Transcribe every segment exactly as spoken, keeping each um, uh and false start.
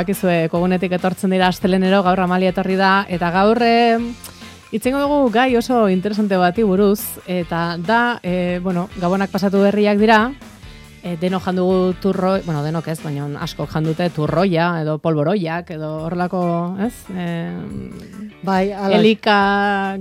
Bakizue, kogunetik etortzen dira astelenero, gaur Amalia etorri da, eta gaur e, itzengo dugu gai oso interesante bati buruz, eta da, e, bueno, gabonak pasatu berriak dira, e, denok jandugu turro, bueno, denok ez, baina asko jandute turroia, edo polboroiak, edo horrelako, ez? E, bai, ala, elika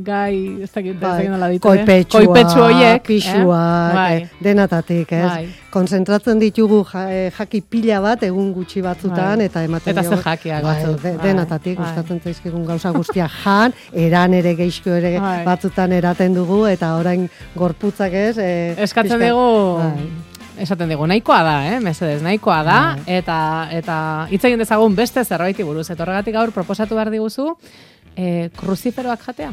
gai, ez dakit, bai, ez dakit nola ditu, koipetsua, koipetsu hoiek, pixuak, eh? Bai. eh, denatatik, ez? Bai. Konzentratzen ditugu ja, eh, jaki pila bat egun gutxi batzutan, Bai. eta ematen Eta diogu- ze jakiak bai, batzuk. de, Bai. denatatik, Bai. gustatzen zaizkigun gauza guztia jan, eran ere geizko ere Bai. batzutan eraten dugu, eta orain gorputzak ez... Eh, Eskatzen pixka- dugu, bai. esaten dugu, nahikoa da, eh, mesedez, nahikoa da, Bai. eta eta hitz egin dezagun beste zerbaiti buruz. Eta horregatik gaur proposatu behar diguzu, eh, kruziferoak jatea.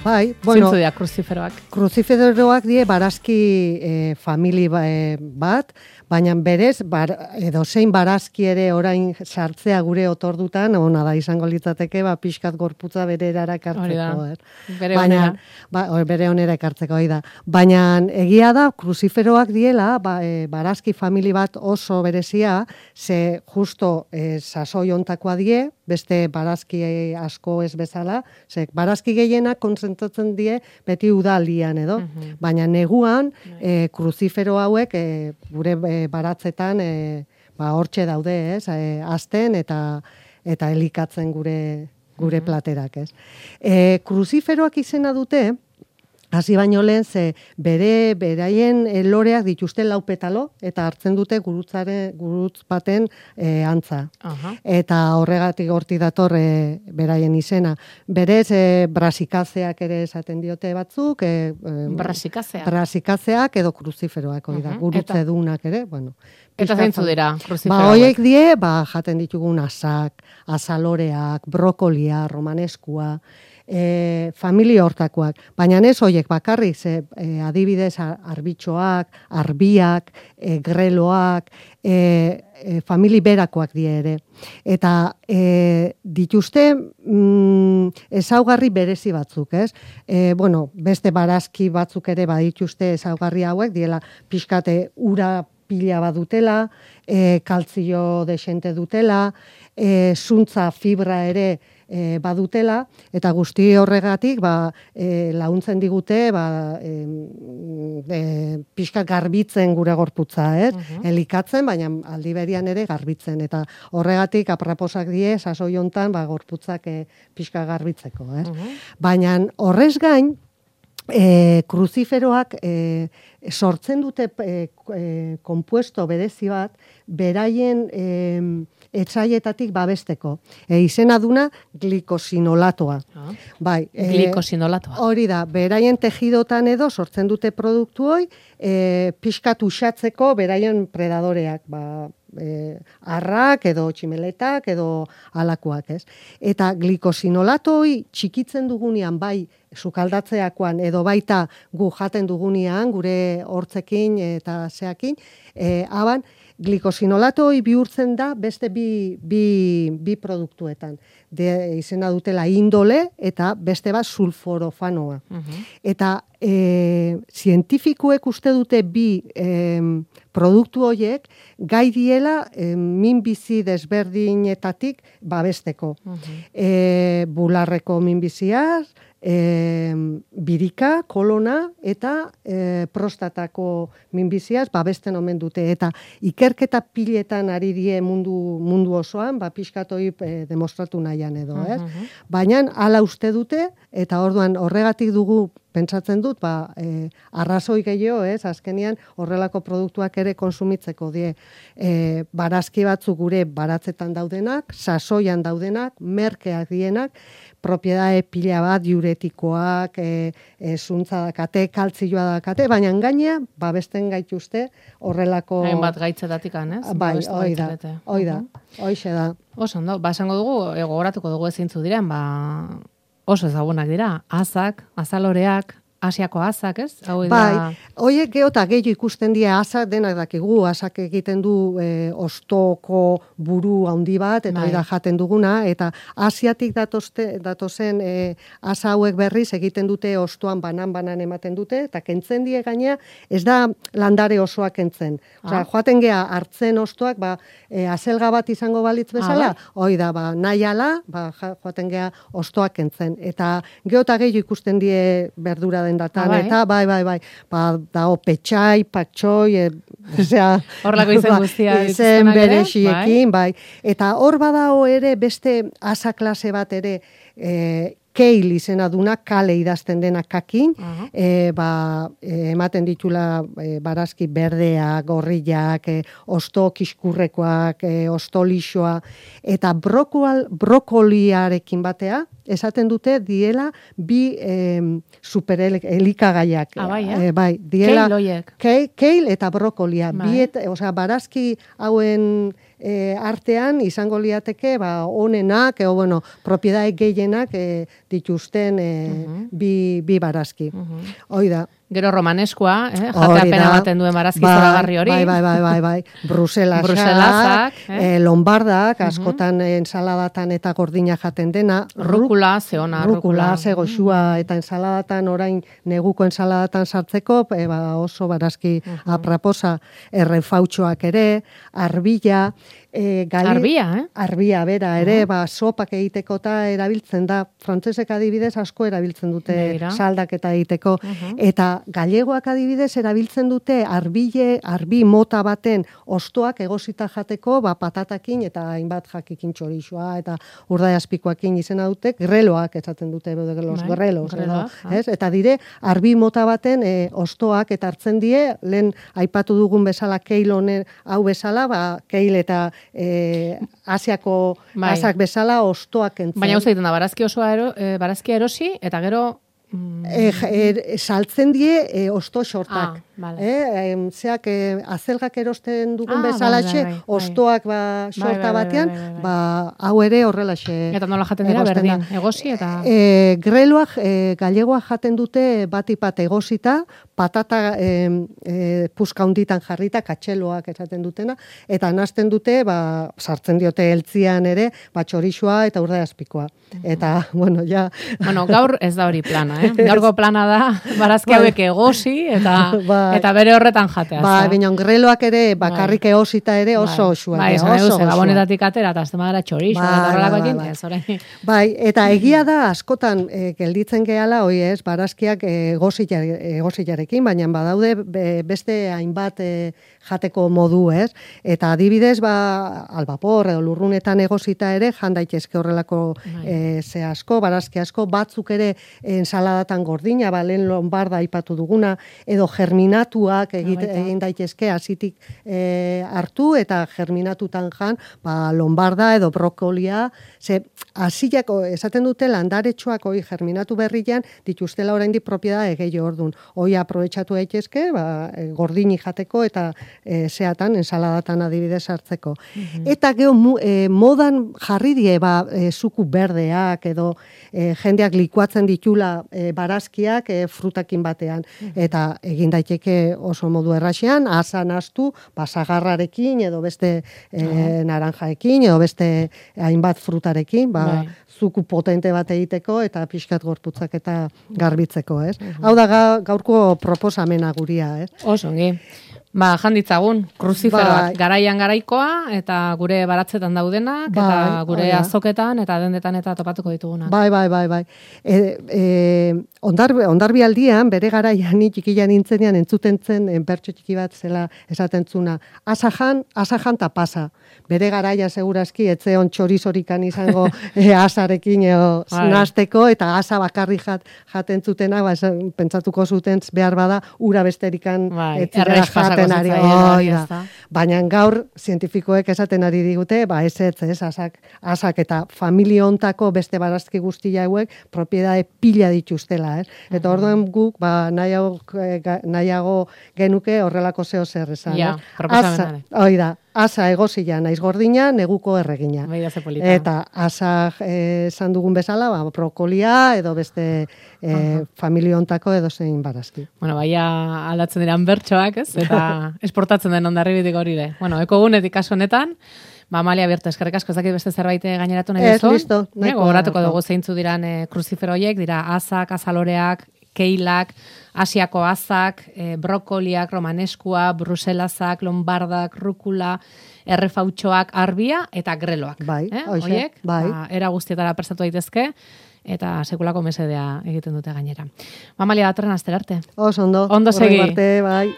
Bai, bueno, Zintzu dira kruziferoak. kruziferoak die barazki eh, famili ba, eh, bat, baina berez, bar, edo zein barazki ere orain sartzea gure otordutan, ona da izango litzateke, ba, pixkat gorputza bere erara Hori da. ekartzeko. Er. Bere Baina, onera. ba, o, bere onera ekartzeko, hori da. Baina egia da, kruziferoak diela, ba, e, barazki famili bat oso berezia, ze justo e, sasoi ontakoa die, beste barazki asko ez bezala, ze barazki gehienak kontzentratzen die beti udaldian edo, Mhm. baina neguan e, kruzifero hauek e, gure e, baratzetan e, ba, hortxe daude, ez, e, azten eta eta elikatzen gure gure platerak, ez. E, kruziferoak izena dute, hasi baino lehen, ze bere beraien e, loreak dituzte lau petalo, eta hartzen dute gurutzaren, gurutz baten e, antza. Aha. Eta horregatik horti dator e, beraien izena. Berez, e, brasikazeak ere esaten diote batzuk, e, e, Brasikazea. brasikazeak edo kruziferoak, hori da, Mhm. gurutze dunak ere, bueno. Eta pixka zeintzu zau- dira Ba, kruziferoak. hoiek die, ba, jaten ditugun asak, azaloreak, brokolia, romaneskua, e, familia hortakoak. Baina ez hoiek bakarrik, ze e, adibidez ar- arbitxoak, arbiak, e, greloak, e, e, famili berakoak die ere. Eta e, dituzte mm, ezaugarri berezi batzuk, ez? E, bueno, beste barazki batzuk ere badituzte ezaugarri hauek, diela pixkate ura pila badutela, e, kaltzio desente dutela, e, zuntza fibra ere e, badutela, eta guzti horregatik ba, e, laguntzen digute ba, e, e, pixka garbitzen gure gorputza, ez? Mhm. Elikatzen, baina aldi berian ere garbitzen, eta horregatik apraposak die, sasoi hontan ba, gorputzak e, pixka garbitzeko, ez? Mhm. Baina horrez gain, E, kruziferoak e, sortzen dute e, e, konpuesto berezi bat beraien e, etsaietatik babesteko. E, izena duna glikosinolatoa. Ah. Bai, e, Glikosinolatoa. hori da, beraien tejidotan edo sortzen dute produktu hoi e, pixkat uxatzeko beraien predadoreak, ba, e, arrak edo tximeletak edo alakoak, ez? Eta glikosinolato hoi txikitzen dugunean bai sukaldatzeakoan edo baita gu jaten dugunean gure hortzekin eta zeakin, e, aban glikosinolato hoi bihurtzen da beste bi, bi, bi produktuetan. De, izena dutela indole eta beste bat sulforofanoa. Mhm. Eta e, zientifikuek uste dute bi e, produktu horiek gai diela e, minbizi desberdinetatik babesteko. Mhm. E, bularreko minbiziaz, e, birika, kolona eta e, prostatako minbiziaz babesten omen dute. Eta ikerketa piletan ari die mundu, mundu osoan, ba, pixkatoi e, demostratu nahian edo, ez? Mhm. Baina hala uste dute, eta orduan horregatik dugu pentsatzen dut, ba, e, arrazoi gehiago, ez, azkenian horrelako produktuak ere konsumitzeko die. E, barazki batzuk gure baratzetan daudenak, sasoian daudenak, merkeak dienak, propiedade pila bat, diuretikoak, e, e, zuntza dakate, kaltzioa dakate, baina gainea, babesten gaituzte horrelako... Hainbat gaitzetatik ez? Bai, Babestu hoi da, gaitzarete. hoi da, Mhm. hoixe da. Oso ondo, ba, esango dugu, e, gogoratuko dugu ezintzu diren, ba, oso ezagunak dira, azak, azaloreak, Asiako azak, ez? Hau da... Bai, hoiek geota gehiago ikusten dira azak, denak dakigu, azak egiten du e, ostoko buru handi bat, eta hori da jaten duguna, eta Asiatik datoste, datozen e, asa hauek berriz egiten dute ostoan banan-banan ematen dute, eta kentzen die gainea, ez da landare osoa kentzen. Osea, joaten gea hartzen ostoak, ba, e, azelga bat izango balitz bezala, ah, hori da, ba, nahi ala, ba, joaten gea ostoak kentzen. Eta geota gehiago ikusten die berdura den datan, ah, bai? Eta bai, bai, bai, ba, dago petxai, patxoi, e, osea, horlako izen guztia izen berexiekin, bai. bai. Eta hor badao ere beste asa klase bat ere, e, keil izena duna, kale idazten dena kakin, uh -huh. e, ba, e, ematen ditula e, barazki berdeak, gorriak, e, osto kiskurrekoak, e, osto lixoa, eta brokol, brokoliarekin batea, esaten dute diela bi e, superelikagaiak. Ah, bai, eh? e, bai, diela, keil oiek. Keil, keil eta brokolia. Bai. Biet, osea, barazki hauen e, artean izango liateke, ba, onenak, e, o, bueno, propiedade gehienak e, dituzten e, uh -huh. bi, bi barazki. Uh -huh. Hoi da. Gero romaneskua, eh? Jateapena baten duen barazki bai, zoragarri hori. Bai, bai, bai, bai, bai. Bruselasak, Bruselasak eh? eh, lombardak, askotan uh -huh. ensaladatan eta gordina jaten dena. Rukula, zeona, rukula. Rukula, ze goxua, eta ensaladatan orain neguko ensaladatan sartzeko, e, ba, oso barazki uh -huh. apraposa, errefautxoak ere, arbilla, E, gali, arbia, eh? Arbia, bera, ere, uh -huh. ba, sopak egiteko eta erabiltzen da. Frantsesek adibidez asko erabiltzen dute Beira. Saldaketa egiteko. Uh -huh. Eta galegoak adibidez erabiltzen dute arbile, arbi mota baten ostoak egosita jateko, ba, patatakin eta hainbat jakikin txorixoa eta urdai azpikoakin izena dute, greloak esaten dute, los Bai, grelos. Edo, ez? Eta dire, arbi mota baten e, ostoak eta hartzen die, lehen aipatu dugun bezala keil honen hau bezala, ba, keil eta E, Asiako bai. Asak bezala ostoak entzen. Baina hau zaiten da, barazki osoa ero, e, barazki erosi, eta gero... Mm. E, e, saltzen die e, osto xortak. Ah, vale. e, e, zeak e, azelgak erosten dugun ah, bezalaxe, bai, bai, bai. ostoak ba, xorta bai, bai, batean, bai, bai, bai, bai. ba, hau ere horrelaxe. Eta nola jaten dira berdin, egosi eta... E, greloak, e, galegoak jaten dute batipat egosita, patata e, e, puska hunditan jarrita, katxeloak esaten dutena, eta nazten dute, ba, sartzen diote eltzian ere, ba, txorixoa eta urdai azpikoa. Eta, bueno, ja... Bueno, gaur ez da hori plana, eh? Gaurko plana da, barazki hauek egosi, eta, bai. eta bere horretan jatea. Ba, baina greloak ere, bakarrik egosita ere oso osua. Bai, esan edo ze, gabonetatik atera, eta azte magara txorixo, bai, eta horrelako ekin, bai, ez orain. Bai, eta egia da, askotan, e, gelditzen gehala, hoi ez, barazkiak egosilarekin, baina badaude beste hainbat e, jateko modu, ez? Eta adibidez, ba, albapor edo lurrunetan egosita ere, jan daitezke horrelako e, ze asko, barazki asko, batzuk ere ensaladatan gordina, ba, lehen lombarda aipatu duguna, edo germinatuak egite, egin daitezke azitik e, hartu, eta germinatutan jan, ba, lombarda edo brokolia, ze hasiak esaten dute landaretxoak hoi germinatu berrian, dituztela oraindik propiedade gehiago ordun. Hoi aprobetxatu daitezke, ba, gordini jateko eta e, zeatan, ensaladatan adibidez hartzeko. Mm-hmm. Eta geho e, modan jarri die, ba, e, zuku berdeak edo e, jendeak likuatzen ditula e, barazkiak e, frutakin batean. Mm-hmm. Eta egin daiteke oso modu erraxean, asan astu, basagarrarekin edo beste e, uh-huh. naranjaekin edo beste hainbat frutarekin, ba, bai. Zuku potente bat egiteko eta pixkat gorputzak eta garbitzeko, ez? Uh-huh. Hau da gaurko proposamena guria, ez? Osongi. Ba, janditzagun, kruzifero bat, garaian garaikoa, eta gure baratzetan daudenak, bai, eta gure oia. Azoketan, eta dendetan eta topatuko ditugunak. Bai, bai, bai, bai. E, e, ondar, ondarbi aldian, bere garaian, txikian nintzenean, entzuten zen, enpertxo txiki bat zela esaten zuna, asajan, asajan ta pasa. Bere garaia segurazki, etzeon txorizorikan izango e, asarekin eo, bai. Nasteko, eta asa bakarri jat, jaten zutena, ba, pentsatuko zuten behar bada, ura besterikan bai. Etzera jaten. Ari, oi, da. Baina gaur zientifikoek esaten ari digute, ba ez ez, ez, asak, asak eta familia hontako beste barazki guztia hauek propiedade pila dituztela, ez? Eta uh-huh. orduan guk, ba, nahiago, nahiago genuke horrelako zeo zer esan. Ja, proposamenare. Oi da, asa egozila naiz gordina, neguko erregina. Begira ze polita. Eta asa esan dugun bezala, ba, brokolia edo beste e, familia hontako edo zein barazki. Bueno, baia aldatzen diran bertsoak, ez? Eta esportatzen den ondarribitik hori ere. Bueno, ekogunetik kasu honetan, ba, Amalia Bierto, eskerrik asko, ez dakit beste zerbait gaineratu nahi duzu. Ez, listo. Gogoratuko dugu zeintzu diran e, kruzifero horiek, dira azak, azaloreak, keilak, asiako azak, e, brokoliak, romaneskua, bruselazak, lombardak, rukula, errefautxoak, arbia eta greloak. Bai, eh? hoxe, Oiek, bai. Ba, era guztietara prestatu daitezke, eta sekulako mesedea egiten dute gainera. Amalia, datorren astera arte. Oso ondo. Ondo segi. Horren arte, bai.